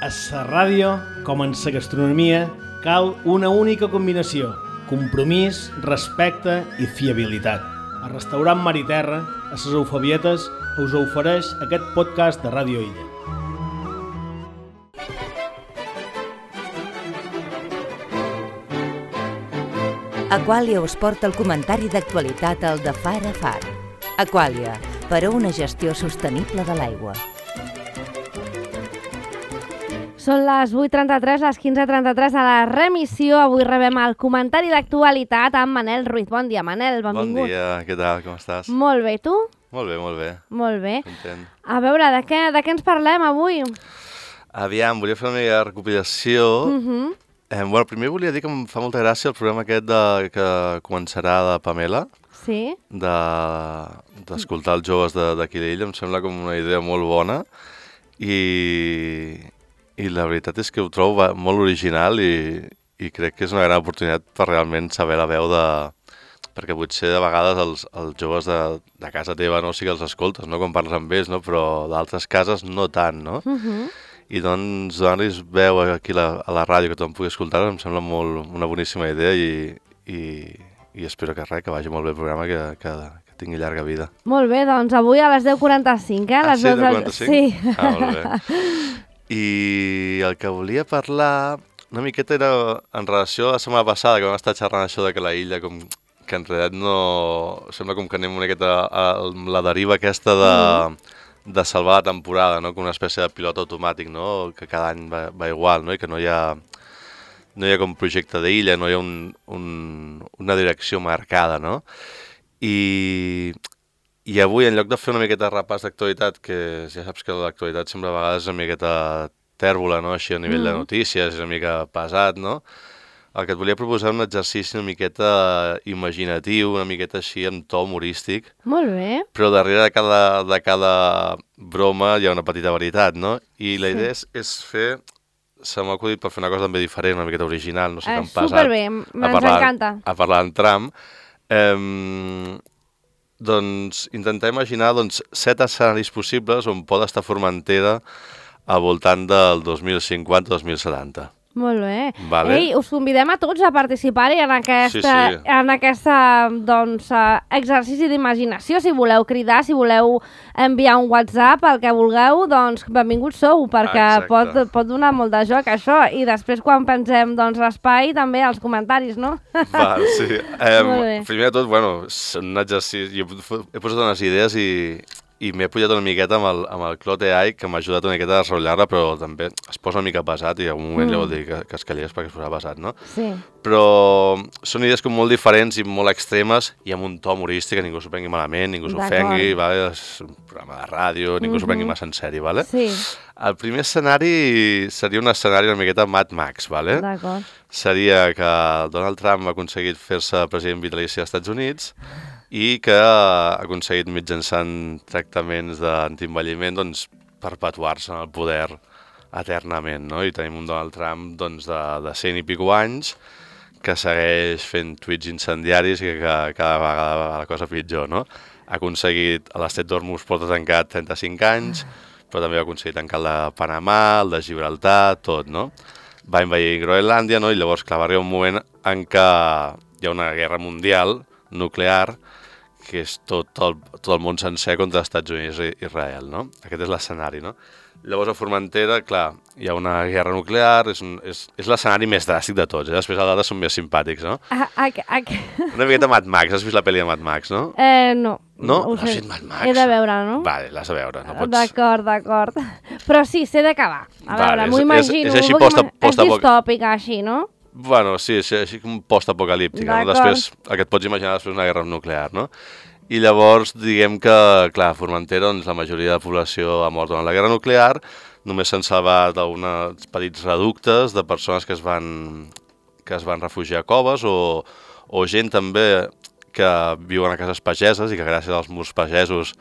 A la ràdio, com en la gastronomia, cal una única combinació: compromís, respecte i fiabilitat. El restaurant Mar i Terra, a les Eufabietes, us ofereix aquest podcast de Ràdio Illa. Aquàlia us porta el comentari d'actualitat al de Far a Far. Aquàlia, per a una gestió sostenible de l'aigua. Són les 8:33, les 15:33 a la remissió. Avui rebem el comentari d'actualitat amb Manel Ruiz. Bon dia, Manel, benvingut. Bon dia, què tal, com estàs? Molt bé, tu? Molt bé, molt bé. Molt bé. Content. A veure, de què ens parlem avui? Aviam, volia fer una mica de recopilació. Bueno, primer volia dir que em fa molta gràcia el programa aquest que començarà de Pamela, Sí? d'escoltar els joves d'aquí d'Illa. Em sembla com una idea molt bona i la veritat és que ho trobo molt original i crec que és una gran oportunitat per realment saber la veu perquè potser de vegades els joves de casa teva sí que els escoltes, no?, quan parles amb ells, no?, però d'altres cases no tant, no? I doncs donar-los veu aquí a la ràdio que tothom pugui escoltar em sembla una boníssima idea i espero que vagi molt bé el programa, que tingui llarga vida. Molt bé, doncs avui a les 10:45, Ah, sí, 10:45? Sí. Ah, molt bé. I el que volia parlar una miqueta era en relació a la setmana passada, que vam estar xerrant això de que la illa, que en realitat no... Sembla com que anem una miqueta a la deriva aquesta de salvar la temporada, no?, com una espècie de pilot automàtic, no?, que cada any va igual, no?, i que no hi ha com projecte d'illa, no hi ha una direcció marcada, no? I avui, en lloc de fer una miqueta de repàs d'actualitat, que ja saps que l'actualitat sempre a vegades és una miqueta tèrbola, no?, així a nivell de notícies, és una mica pesat, no?, el que et volia proposar un exercici una miqueta imaginatiu, una miqueta així amb to humorístic. Molt bé. Però darrere de cada broma hi ha una petita veritat, no? I la idea és fer... Se m'ha acudit per fer una cosa també diferent, una miqueta original, no sé, tan pesat. Superbé, ens encanta. A parlar en tram. Doncs intentar imaginar 7 escenaris possibles on pot estar Formentera al voltant del 2050-2070. Molt bé. Vale. Ei, us convidem a tots a participar-hi en aquesta doncs, exercici d'imaginació. Si voleu cridar, si voleu enviar un WhatsApp, el que vulgueu, doncs benvinguts sou, perquè pot donar molt de joc això. I després, quan pensem l'espai, també els comentaris, no? Val, sí. Primer de tot, bueno, és un exercici. Jo he posat unes idees i m'he pujat una miqueta amb el Clot AI, que m'ha ajudat una miqueta a desenvolupar-la, però també es posa una mica pesat i en un moment li vol dir que es callés perquè es posa pesat, no? Sí. Però són idees com molt diferents i molt extremes i amb un to humorístic, que ningú s'ho prengui malament, ningú s'ofengui, vale? És un programa de ràdio, ningú s'ho prengui massa en sèrio, vale? Sí. El primer escenari seria un escenari una miqueta Mad Max, vale? D'acord. Seria que Donald Trump ha aconseguit fer-se president vitalici dels Estats Units i que ha aconseguit mitjançant tractaments d'antienvelliment perpetuar-se en el poder eternament, no? I tenim un Donald Trump de 100 i pico anys que segueix fent tuits incendiaris i que cada vegada va la cosa pitjor, no? Ha aconseguit a l'Estret d'Hormuz porta tancat 35 anys, però també ha aconseguit tancar el de Panamà, el de Gibraltar, tot, no? Va invadir Groenlàndia, no? I llavors, clar, va arribar un moment en què hi ha una guerra mundial nuclear que és tot el món sencer contra els Estats Units i Israel, no? Aquest és l'escenari, no? Llavors a Formentera, clar, hi ha una guerra nuclear, és l'escenari més dràstic de tots, després els altres són més simpàtics, no? Una miqueta Mad Max, has vist la pel·li de Mad Max, no? No. No? No has vist Mad Max? He de veure, no? Vale, l'has de veure, no pots... D'acord. Però sí, sé d'acabar. A veure, m'ho imagino. És així és distòpica, així, no? Bueno, sí, és així com post-apocalíptica, no? Després, el que et pots imaginar després una guerra nuclear, no? I llavors, diguem que, clar, a Formentera, la majoria de la població ha mort durant la guerra nuclear, només s'han salvat uns petits reductes de persones que es van refugiar a coves o gent també que viuen a cases pageses i que gràcies als murs pagesos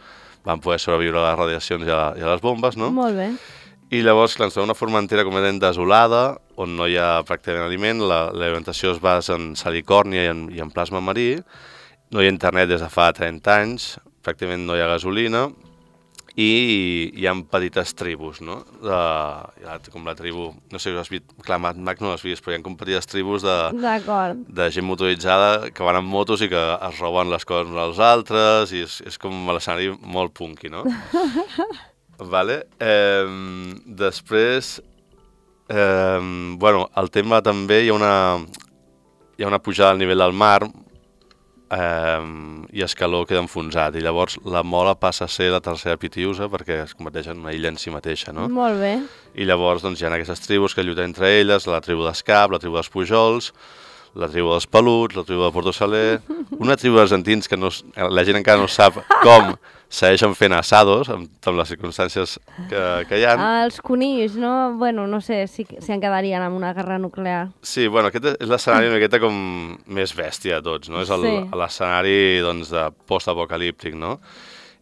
van poder sobreviure a les radiacions i a les bombes, no? Molt bé. I llavors, clar, ens trobem una Formentera completament desolada, on no hi ha pràcticament aliment, l'alimentació es basa en salicòrnia i en plasma marí, no hi ha internet des de fa 30 anys, pràcticament no hi ha gasolina, i hi ha petites tribus, no? Com la tribu, no sé si has vist, clar, Mad Max no l'has vist, però hi ha com petites tribus de gent motoritzada que van amb motos i que es roben les coses uns als altres, i és com l'escenari molt punky, no? Vale. Després, bueno, el tema també, hi ha una pujada al nivell del mar, i Escaló queda enfonsat, i llavors la Mola passa a ser la tercera Pitiusa perquè es converteix en una illa en si mateixa, no? Molt bé. I llavors doncs, hi ha aquestes tribus que lluiten entre elles, la tribu d'Escap, la tribu dels Pujols, la tribu dels Peluts, la tribu de Porto Saler, una tribu d'argentins que la gent encara no sap com segueixen fent assados amb les circumstàncies que hi ha. Els conills, no? Bueno, no sé si en quedarien amb una guerra nuclear. Sí, bueno, aquest és l'escenari una miqueta com més bèstia de tots, no? És l'escenari doncs, de post-apocalíptic, no?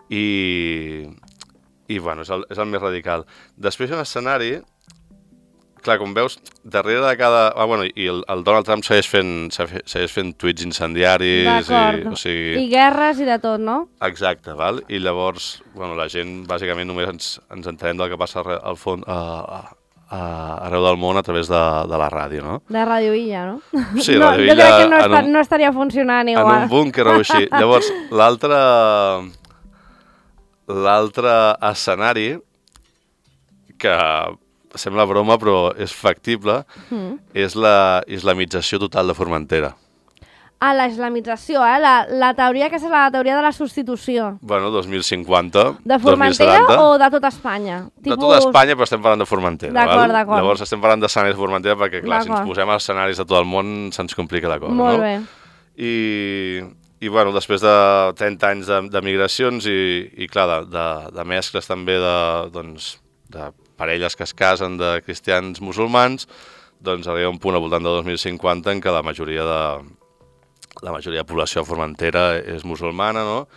I bueno, és el més radical. Després hi ha un escenari, clar, com veus, darrere de cada... bueno, i el Donald Trump segueix fent tuits incendiaris. D'acord. I guerres i de tot, no? Exacte, val? I llavors, bueno, la gent, bàsicament, només ens entenem del que passa al fons, arreu del món a través de la ràdio, no? De Radio Illa, no? Sí, Radio Illa... Jo crec que no estaria funcionant igual. En un búnquer o així. Llavors, l'altre escenari, que sembla broma però és factible, és la islamització total de Formentera. La islamització, la teoria que és la teoria de la substitució. Bueno, 2050, de Formentera 2070. O de tota Espanya? De tota Espanya, però estem parlant de Formentera. D'acord. Llavors estem parlant d'escenaris de Formentera perquè, clar, si ens posem als escenaris de tot el món se'ns complica la cosa, Molt no? bé. I bueno, després de 30 anys de migracions i clar, de mescles també de parelles que es casen de cristians musulmans, doncs arriba un punt al voltant de 2050 en què la majoria de població de Formentera és musulmana, no?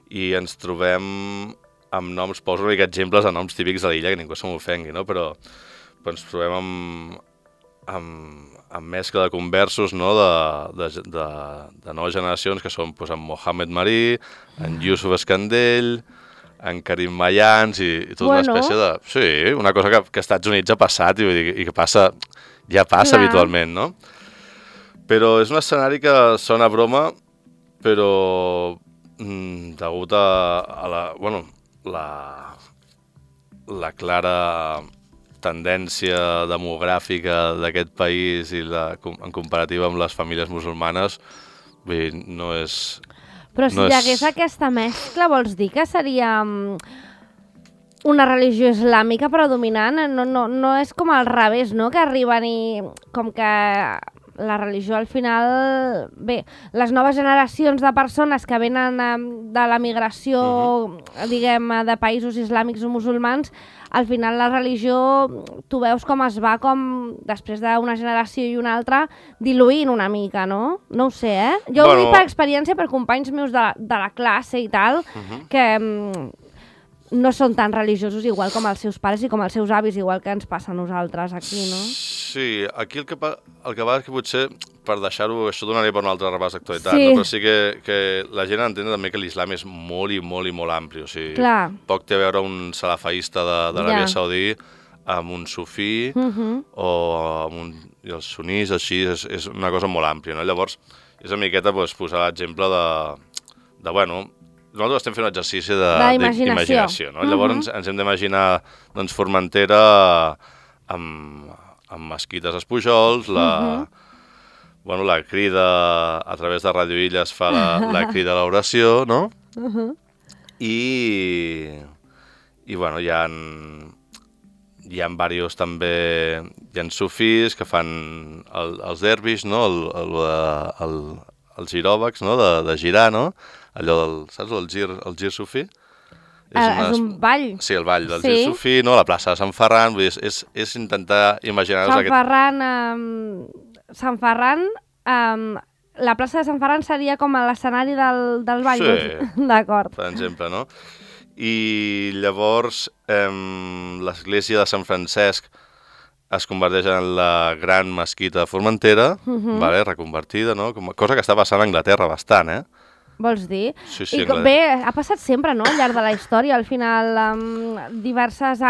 I ens trobem amb noms, poso una mica exemples de noms típics de l'illa, que ningú se m'ofengui, no? Però ens trobem amb mescla de conversos, no? de noves generacions, que són en Mohamed Marí, en Yusuf Escandell, en Karim Mayans i tota una espècie de... Sí, una cosa que als Estats Units ha passat i que ja passa habitualment, no? Però és un escenari que sona a broma, però degut a la clara tendència demogràfica d'aquest país i en comparativa amb les famílies musulmanes, no és... Però si hi hagués aquesta mescla, vols dir que seria una religió islàmica predominant? No és com al revés, no? Que arriben i... Com que la religió al final... Bé, les noves generacions de persones que venen de la migració, diguem, de països islàmics o musulmans, al final la religió, tu veus com es va, com després d'una generació i una altra, diluint una mica, no? No ho sé, Jo ho dic per experiència, per companys meus de la classe i tal, que no són tan religiosos igual com els seus pares i com els seus avis, igual que ens passa a nosaltres aquí, no? Sí, aquí el que va és que potser, per deixar-ho, això donaria per un altre repàs d'actualitat, no? Però sí que la gent entén també que l'islam és molt i molt i molt ampli, o sigui, poc té a veure un salafaista d'Aràbia Saudí amb un sufí o amb els sunís, així, és una cosa molt àmplia, no? Llavors, és una miqueta posar l'exemple de, bueno, nosaltres estem fent un exercici d'imaginació, no? Llavors ens hem d'imaginar Formentera amb mesquites als Pujols, la crida a través de Radio Illa es fa la crida a l'oració, no? I bueno, hi ha diversos també, hi ha sufís que fan els derbis, no? Els giròbacs, no? De girar, no? Allò saps, el gir sufí? És un ball. Sí, el ball del gir sufí, no? La plaça de Sant Ferran, vull dir, és intentar imaginar-nos Sant Ferran, la plaça de Sant Ferran seria com l'escenari del ball. Sí, d'acord. Per exemple, no? I llavors l'església de Sant Francesc es converteix en la gran mesquita de Formentera, reconvertida, no? Cosa que està passant a Anglaterra bastant, vols dir? Sí, I bé, ha passat sempre, no?, al llarg de la història. Al final, diverses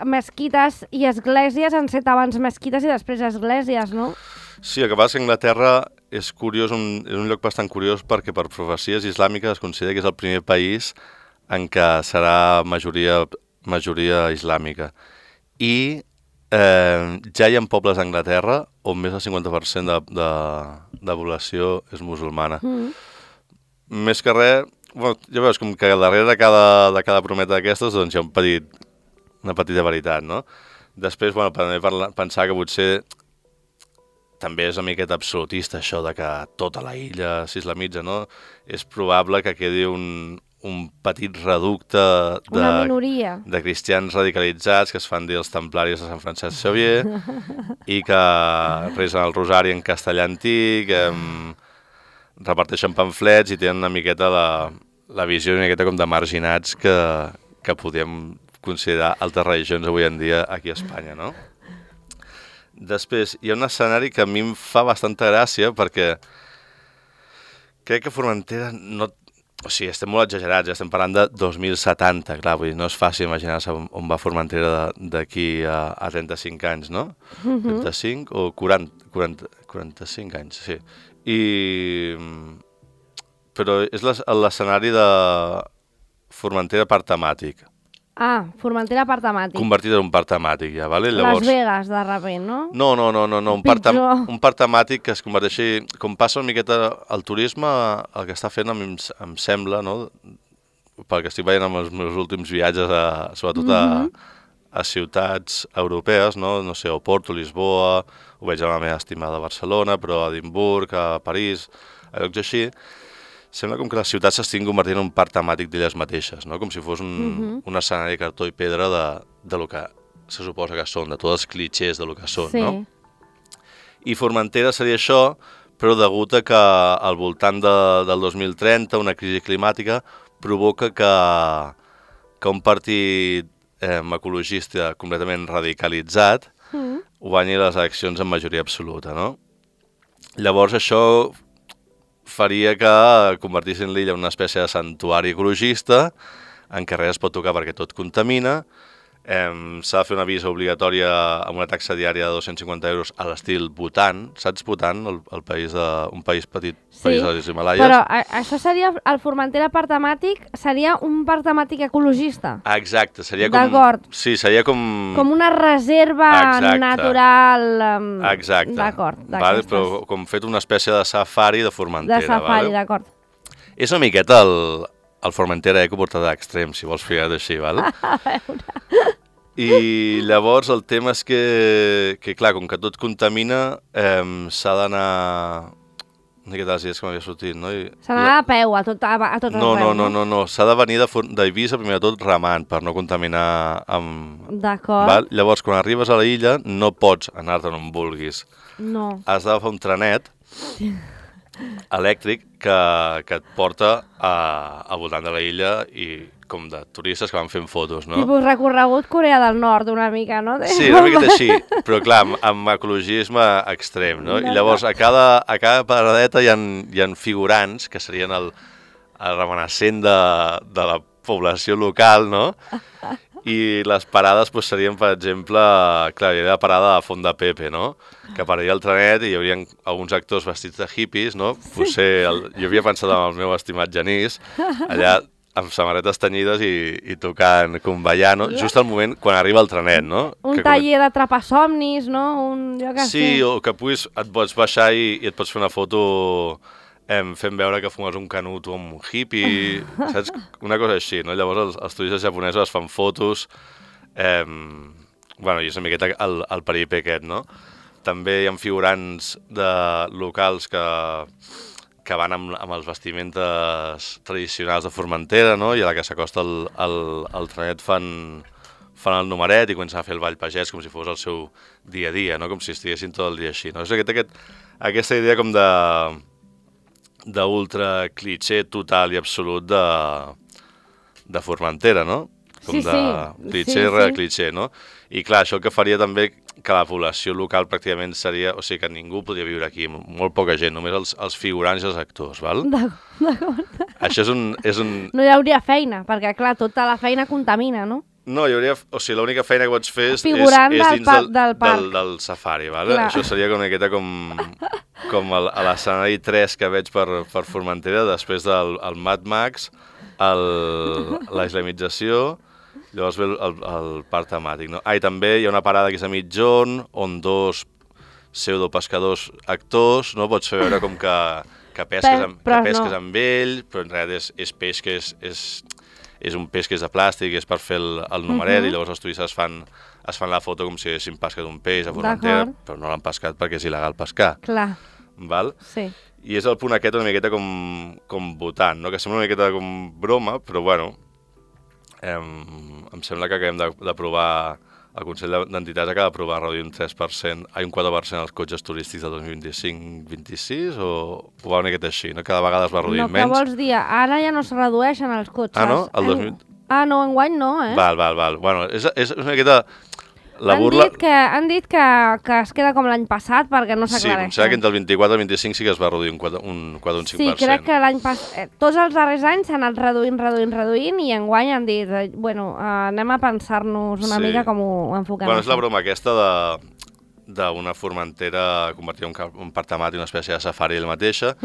mesquites i esglésies han set abans mesquites i després esglésies, no? Sí, el que passa és que Anglaterra és curiós, és un lloc bastant curiós perquè per profecies islàmiques es considera que és el primer país en què serà majoria islàmica. I ja hi ha pobles a Anglaterra on més del 50% de població és musulmana. Més que res, bueno, ja veus com que darrere de cada prometa d'aquestes doncs hi ha una petita veritat, no? Després, bueno, pensar que potser també és una miqueta absolutista això de que tota la illa s'islamitza, no? És probable que quedi un petit reducte de cristians radicalitzats que es fan dir els templaris de Sant Francesc Xavier i que resen el rosari en castellà antic, reparteixen pamflets i tenen una miqueta la visió una miqueta com de marginats que podem considerar altres religions avui en dia aquí a Espanya, no? Després, hi ha un escenari que a mi em fa bastanta gràcia perquè crec que Formentera no... O sigui, estem molt exagerats, ja estem parlant de 2070, clar, vull dir, no és fàcil imaginar-se on va Formentera d'aquí a 35 anys, no? 35 o 45 anys, sí. Però és l'escenari de Formentera parc temàtic. Ah, Formentera parc temàtic. Convertit en un parc temàtic, ja, vale? Llavors... Las Vegas, de repent, no? No, un parc temàtic que es converteixi... Com passa una miqueta el turisme, el que està fent em sembla, no? Pel que estic veient amb els meus últims viatges, sobretot a ciutats europees, no? No sé, Oporto, Lisboa, ho veig amb la meva estimada Barcelona, però a Edimburg, a París, a llocs així... Sembla com que les ciutats s'estiguin convertint en un parc temàtic d'elles mateixes, no? Com si fos un escenari de cartó i pedra de lo que se suposa que són, de tots els clitxers de lo que són, no? I Formentera seria això, però degut a que al voltant del 2030 una crisi climàtica provoca que un partit ecologista completament radicalitzat guanyi les eleccions en majoria absoluta, no? Llavors això faria que convertissin l'illa en una espècie de santuari ecologista en què res es pot tocar perquè tot contamina. S'ha de fer una visa obligatòria amb una taxa diària de 250 euros a l'estil Bhutan. Saps Bhutan, un país petit, país de les Himalaies? Però això seria, el Formentera parc temàtic, seria un parc temàtic ecologista? Exacte, seria com... D'acord. Sí, seria com... Com una reserva natural... Exacte. D'acord. Vale, però com fet una espècie de safari de Formentera. De safari, d'acord. És una miqueta el Formentera Eco portat a extrem, si vols ficar així, val? A veure... I llavors el tema és que clar, com que tot contamina, s'ha d'anar... Una miqueta les idees que m'havia sortit, no? S'ha d'anar a peu a tot arreu, no. S'ha de venir d'Eivissa, primer de tot, remant, per no contaminar amb... D'acord. Llavors, quan arribes a la illa, no pots anar-te'n on vulguis. No. Has d'agafar un trenet elèctric que et porta al voltant de la illa i com de turistes que van fent fotos, no? Tipus recorregut Corea del Nord, una mica, no? Sí, una miqueta així, però clar, amb ecologisme extrem, no? I llavors a cada paradeta hi ha figurants que serien el reminiscent de la població local, no? I les parades serien, per exemple, clar, hi havia la parada de Font de Pepe, no? Que pararia el trenet i hi haurien alguns actors vestits de hippies, no? Potser jo havia pensat en el meu estimat Genís, allà amb samarretes tenyides i tocant convallar, no? Just al moment quan arriba el trenet, no? Un taller d'atrapar somnis, no? Sí, o que et pots baixar i et pots fer una foto fent veure que fumes un canut o un hippie, saps? Una cosa així, no? Llavors els turistes japonesos es fan fotos, bueno, i és una miqueta el peripé aquest, no? També hi ha figurants locals que van amb els vestimentes tradicionals de Formentera, no? I a la que s'acosta el trenet fan el numeret i comencen a fer el ball pagès com si fos el seu dia a dia, no? Com si estiguessin tot el dia així, no? És aquesta idea com d'ultra clitxer total i absolut de Formentera, no? com de clitxer rere clitxer, no? I clar, això el que faria també que la població local pràcticament seria... O sigui, que ningú podria viure aquí, molt poca gent, només els figurants i els actors, val? D'acord. Això és un... No hi hauria feina, perquè clar, tota la feina contamina, no? No, hi hauria... O sigui, l'única feina que pots fer és figurant dins del parc. Del safari, vale? Això seria una miqueta com a l'escenari 3 que veig per Formentera, després del Mad Max, la islamització, llavors ve el parc temàtic, no? I també hi ha una parada que és a mitjorn, on dos pseudopescadors actors, no? Pots fer veure com que pesques amb ell, però en realitat és peix que és un peix que és de plàstic, és per fer el numeret, i llavors els turistes es fan la foto com si haguessin pescat un peix a Formentera, però no l'han pescat perquè és il·legal pescar. Clar. Val? Sí. I és el punt aquest una miqueta com votant, no? Que sembla una miqueta com broma, però bueno, em sembla que acabem d'aprovar, el Consell d'Entitats acaba d'aprovar reduir un 3%, un 4% els cotxes turístics del 2025-26, o va una miqueta així, no? Cada vegada es va reduint menys. No, què vols dir? Ara ja no es redueixen els cotxes. Ah, no? No, enguany no, eh? Val. Bueno, és una miqueta... La burla... Han dit que es queda com l'any passat perquè no s'aclareix. Sí, em sembla que entre el 24 i el 25 sí que es va reduir un 5%. Sí, crec que l'any passat... Tots els darrers anys s'han anat reduint i enguany han dit, anem a pensar-nos una mica com ho enfoquem. Bueno, és la broma aquesta d'una Formentera convertida en un parc temàtic, una espècie de safari ell mateixa,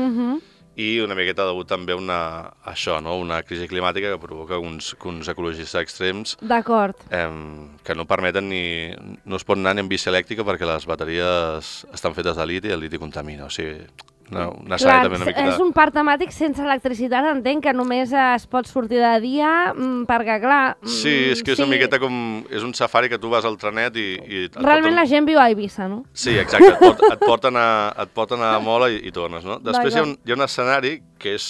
i una miqueta degut també a una crisi climàtica que provoca uns ecologistes extrems que no permeten no es pot anar ni en bici elèctrica perquè les bateries estan fetes de liti i el liti contamina, o sigui, clar, és un parc temàtic sense electricitat, entenc que només es pot sortir de dia perquè, clar... Sí, és que és una miqueta com... És un safari que tu vas al trenet i realment la gent viu a Eivissa, no? Sí, exacte, et porten a Mola i tornes, no? Després hi ha un escenari que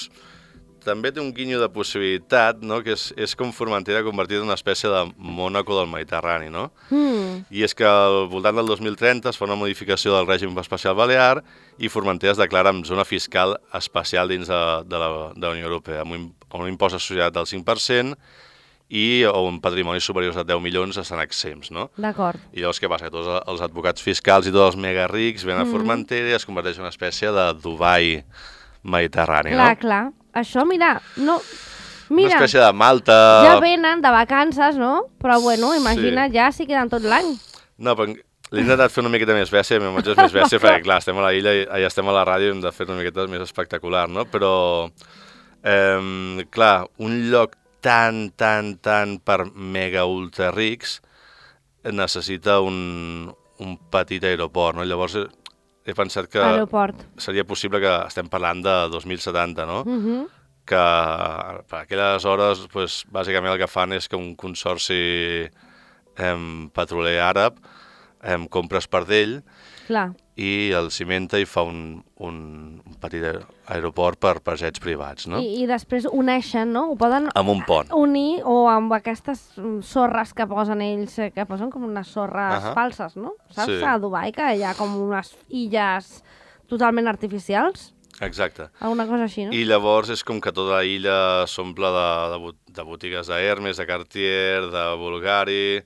també té un guinyo de possibilitat, no? Que és com Formentera convertida en una espècie de Mònaco del Mediterrani, no? I és que al voltant del 2030 es fa una modificació del règim especial balear i Formentera es declara en zona fiscal especial dins de la Unió Europea, amb un impost associat del 5% i on patrimonis superiors a 10 milions estan exempts, no? D'acord. I llavors què passa? Que tots els advocats fiscals i tots els mega rics venen a Formentera i es converteix en una espècie de Dubai mediterrani, no? Clar. Això, mira, una espècie de Malta... Ja venen de vacances, no? Però, imagina't ja si queden tot l'any. No, però l'he intentat fer una miqueta més bèstia, el meu és més bèstia, perquè, clar, estem a la illa i estem a la ràdio i hem de fer una miqueta més espectacular, no? Però, clar, un lloc tan per mega ultra rics necessita un petit aeroport, no? Llavors he pensat que seria possible que estem parlant de 2070, no? Que per aquelles hores, bàsicament el que fan és que un consorci petroler àrab compra espardell i el cimenta i fa un petit aeroport per jets privats, no? I després uneixen, no? Ho poden amb un pont. Unir o amb aquestes sorres que posen ells, que posen com unes sorres falses, no? Saps? A Dubai, que hi ha com unes illes totalment artificials. Exacte. Alguna cosa així, no? I llavors és com que tota l'illa s'omple de botigues d'Hermes, de Cartier, de Bulgari,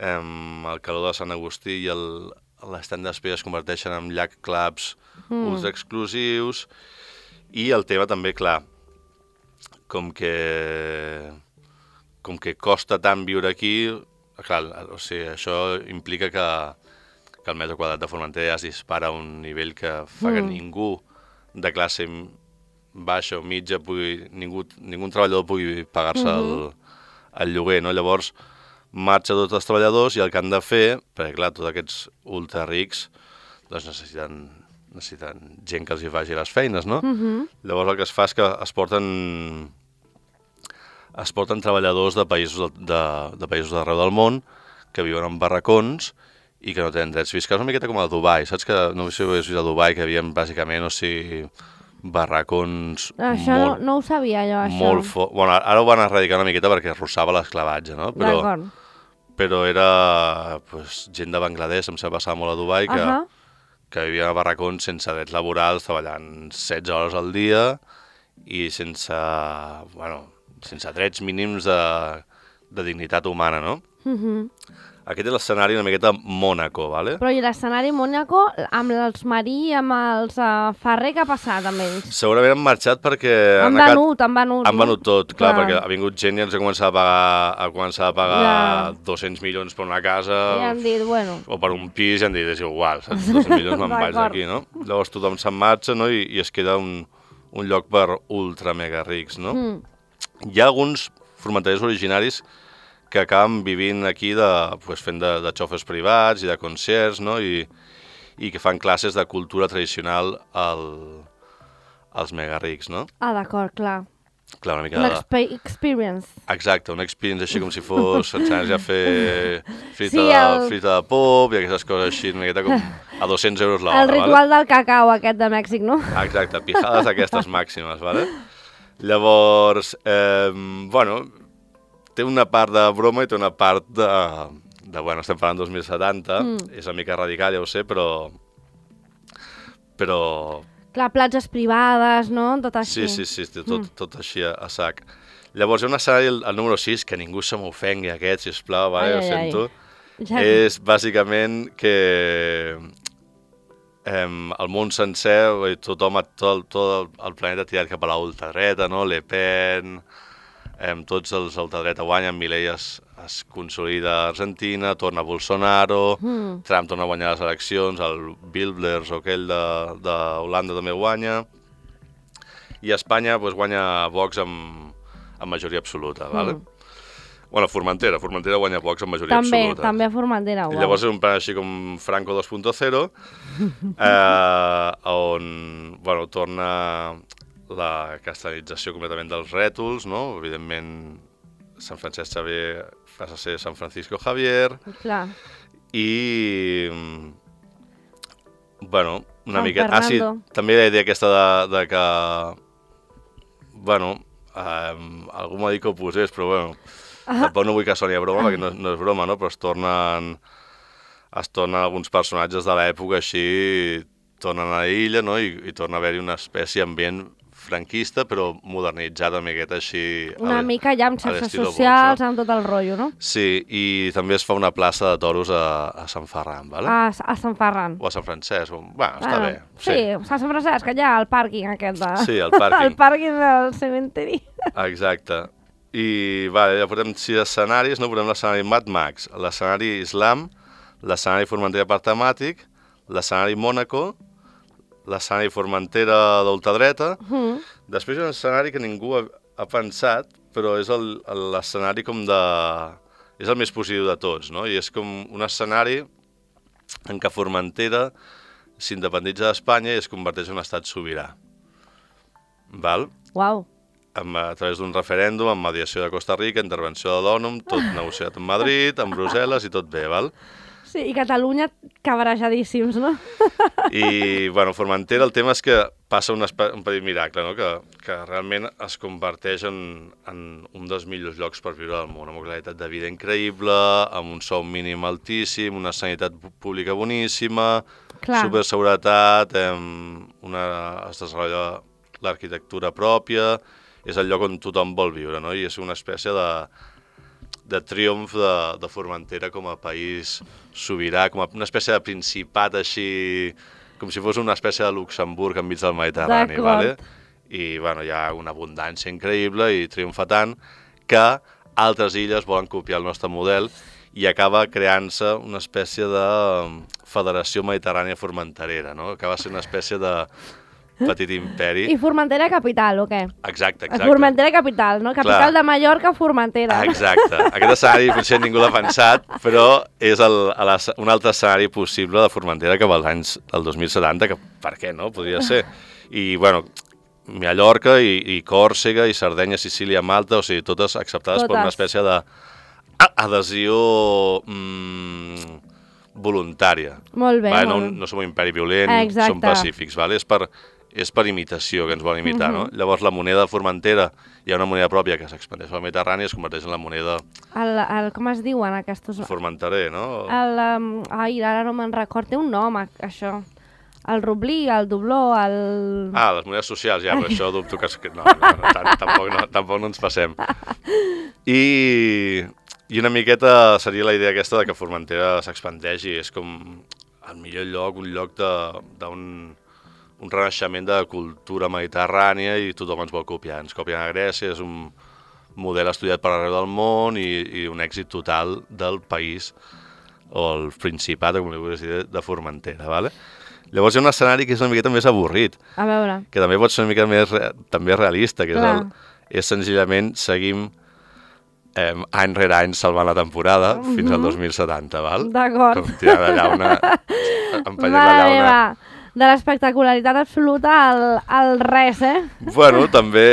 el calor de Sant Agustí i l'estand d'espera es converteixen en llac clubs ultra exclusius i el tema també, clar, com que costa tant viure aquí, clar, o sigui, això implica que el metre quadrat de Formentera ja es dispara a un nivell que fa que ningú de classe baixa o mitja, ningú treballador pugui pagar-se el lloguer, no? Llavors, marxa tots els treballadors i el que han de fer, perquè clar, tots aquests ultra rics doncs necessiten gent que els hi faci les feines, no? Llavors el que es fa és que es porten treballadors de països d'arreu del món que viuen en barracons i que no tenen drets fiscals, una miqueta com a Dubai, saps que no sé si ho has vist a Dubai, que havien bàsicament, o sigui, barracons això no ho sabia jo, això. Bueno, ara ho van erradicar una miqueta perquè arrossava l'esclavatge, no? Però era gent de Bangladesh, em sembla passar molt a Dubai, que vivien a barracons sense drets laborals, treballant 16 hores al dia i sense drets mínims de dignitat humana, no? Aquest és l'escenari una miqueta Mònaco, ¿vale? Però i l'escenari Mònaco, amb els Marí, amb els Ferrer, què ha passat amb ells? Segurament han marxat perquè... Han venut. Han venut tot, clar, perquè ha vingut gent i ens ha començat a pagar 200 milions per una casa... I han dit, bueno... O per un pis i han dit, és igual, 200 milions me'n vaig d'aquí, no? Llavors tothom se'n marxa, no? I es queda un lloc per ultra mega rics, no? Hi ha alguns formenterers originaris que acaben vivint aquí fent de xofers privats i de concerts, no? I que fan classes de cultura tradicional als mega rics, no? Ah, d'acord, clar. Clar, una mica experience. Exacte, una experience així com si fos ensenyar-los a fer frita de pop i aquestes coses així, una miqueta com a 200 euros l'hora. El ritual del cacau aquest de Mèxic, no? Exacte, pijades aquestes màximes, ¿vale? Llavors, bueno, té una part de broma i té una part bueno, estem parlant 2070, és una mica radical, ja ho sé, però... Clar, platges privades, no? Tot així. Sí, tot així a sac. Llavors hi ha un escenari, el número 6, que ningú se m'ofengui aquest, sisplau, vale? Ho sento. És bàsicament que el món sencer, tot el planeta tirat cap a la ultradreta, no? Le Pen... tots els ultradreta guanyen, Milei es consolida a Argentina, torna Bolsonaro, Trump torna a guanyar les eleccions, el Wilders o aquell d'Holanda també guanya, i a Espanya guanya Vox amb majoria absoluta, ¿vale? Bueno, Formentera guanya Vox amb majoria absoluta. També a Formentera, uau. I llavors és un plan així com Franco 2.0, on, bueno, torna... la castellanització completament dels rètols, no? Evidentment, Sant Francesc Xavier passa a ser San Francisco Javier. Clar. I... bueno, una mica... Ah, sí, també la idea aquesta de que... bueno, algú m'ha dit que ho posés, però bueno, tampoc no vull que soni a broma, perquè no és broma, no? Però es tornen alguns personatges de l'època així, tornen a l'illa, no? I torna a haver-hi una espècie ambient franquista, però modernitzada una miqueta així... Una mica ja amb xarxes socials, amb tot el rotllo, no? Sí, i també es fa una plaça de toros a Sant Ferran, ¿vale? A Sant Ferran. O a Sant Francesc, bueno, està bé. Sí, a Sant Francesc, allà al pàrquing aquest de... Sí, al pàrquing. El pàrquing del cementeri. Exacte. I, ja portem 6 escenaris, no? Portem l'escenari Mad Max, l'escenari Islam, l'escenari Formentera per temàtic, l'escenari Mònaco, l'escenari Formentera d'ultradreta. Després hi ha un escenari que ningú ha pensat, però és l'escenari com de... és el més positiu de tots, no? I és com un escenari en què Formentera s'independitza d'Espanya i es converteix en un estat sobirà. Val? Uau. A través d'un referèndum, amb mediació de Costa Rica, intervenció de l'ONU, tot negociat amb Madrid, amb Brussel·les i tot bé, val? Sí, i Catalunya cabrejadíssims, no? I, bueno, Formentera, el tema és que passa un petit miracle, no? Que realment es converteix en un dels millors llocs per viure al món, amb una qualitat de vida increïble, amb un sou mínim altíssim, una sanitat pública boníssima, superseguretat, es desenvolupa l'arquitectura pròpia, és el lloc on tothom vol viure, no? I és una espècie de triomf de Formentera com a país sobirà, com una espècie de principat així, com si fos una espècie de Luxemburg enmig del Mediterrani, ¿vale? I, bueno, hi ha una abundància increïble i triomfa tant que altres illes volen copiar el nostre model i acaba creant-se una espècie de federació mediterrània formenterera, no? Acaba sent una espècie de petit imperi. I Formentera capital, o què? Exacte. Formentera capital, no? Capital de Mallorca, Formentera. Exacte. Aquest escenari potser ningú l'ha pensat, però és un altre escenari possible de Formentera que als anys del 2070, que per què no? Podria ser. I, bueno, Mallorca i Còrsega i Sardenya, Sicília, Malta, o sigui, totes acceptades per una espècie d'adhesió voluntària. Molt bé. No som un imperi violent, som pacífics, és per imitació, que ens volen imitar, no? Llavors la moneda de Formentera, hi ha una moneda pròpia que s'expandeix al Mediterrani i es converteix en la moneda... Com es diuen aquests... Formenterer, no? Ara no me'n record, té un nom, això. El rublí, el dobló, el... les monedes socials, ja, però això dubto que... No, tampoc no ens passem. I I una miqueta seria la idea aquesta de que Formentera s'expandeixi. És com el millor lloc, un lloc d'un renaixement de cultura mediterrània i tothom ens vol copiar. Ens copien a Grècia, és un model estudiat per arreu del món i un èxit total del país o el Principat, com li vulguis dir, de Formentera, ¿vale? Llavors hi ha un escenari que és una miqueta més avorrit. A veure. Que també pot ser una mica més també realista, que és senzillament seguim any rere any salvant la temporada fins al 2070, val? D'acord. Com tirant la llauna, empallant la llauna. De l'espectacularitat absoluta al res, Bueno, també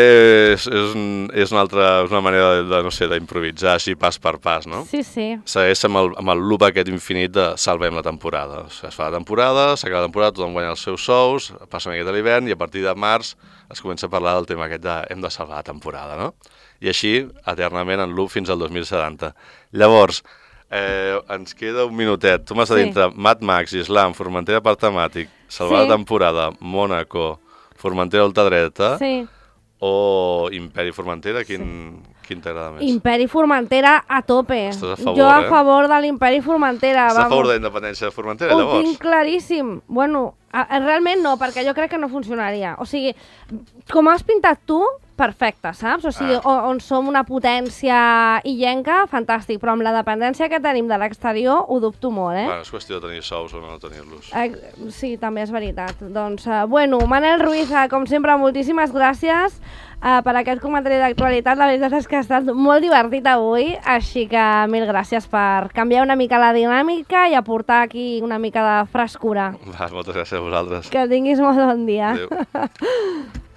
és una manera de, no sé, d'improvisar així pas per pas, no? Sí. Segueix amb el loop aquest infinit de salvem la temporada. O sigui, es fa la temporada, s'acaba la temporada, tothom guanya els seus sous, passa una miqueta l'hivern i a partir de març es comença a parlar del tema aquest de hem de salvar la temporada, no? I així, eternament, en loop fins al 2070. Llavors, ens queda un minutet. Tu m'has de dir entre Mad Max, Islam, Formentera Parc Temàtic, salvar la temporada, Mónaco, Formentera ultradreta o Imperi Formentera, quin t'agrada més? Imperi Formentera a tope. Estàs a favor, jo a favor de l'Imperi Formentera. Estàs a favor de la independència de Formentera, llavors? Ho tinc claríssim. Bueno, realment no, perquè jo crec que no funcionaria. O sigui, com has pintat tu, perfecte, saps? O sigui, on som una potència illenca, fantàstic, però amb la dependència que tenim de l'exterior ho dubto molt, Bueno, és qüestió de tenir sous o no tenir-los. Sí, també és veritat. Doncs, bueno, Manel Ruiz, com sempre, moltíssimes gràcies per aquest comentari d'actualitat. La veritat és que ha estat molt divertit avui, així que mil gràcies per canviar una mica la dinàmica i aportar aquí una mica de frescura. Moltes gràcies a vosaltres. Que tinguis molt bon dia. Adéu.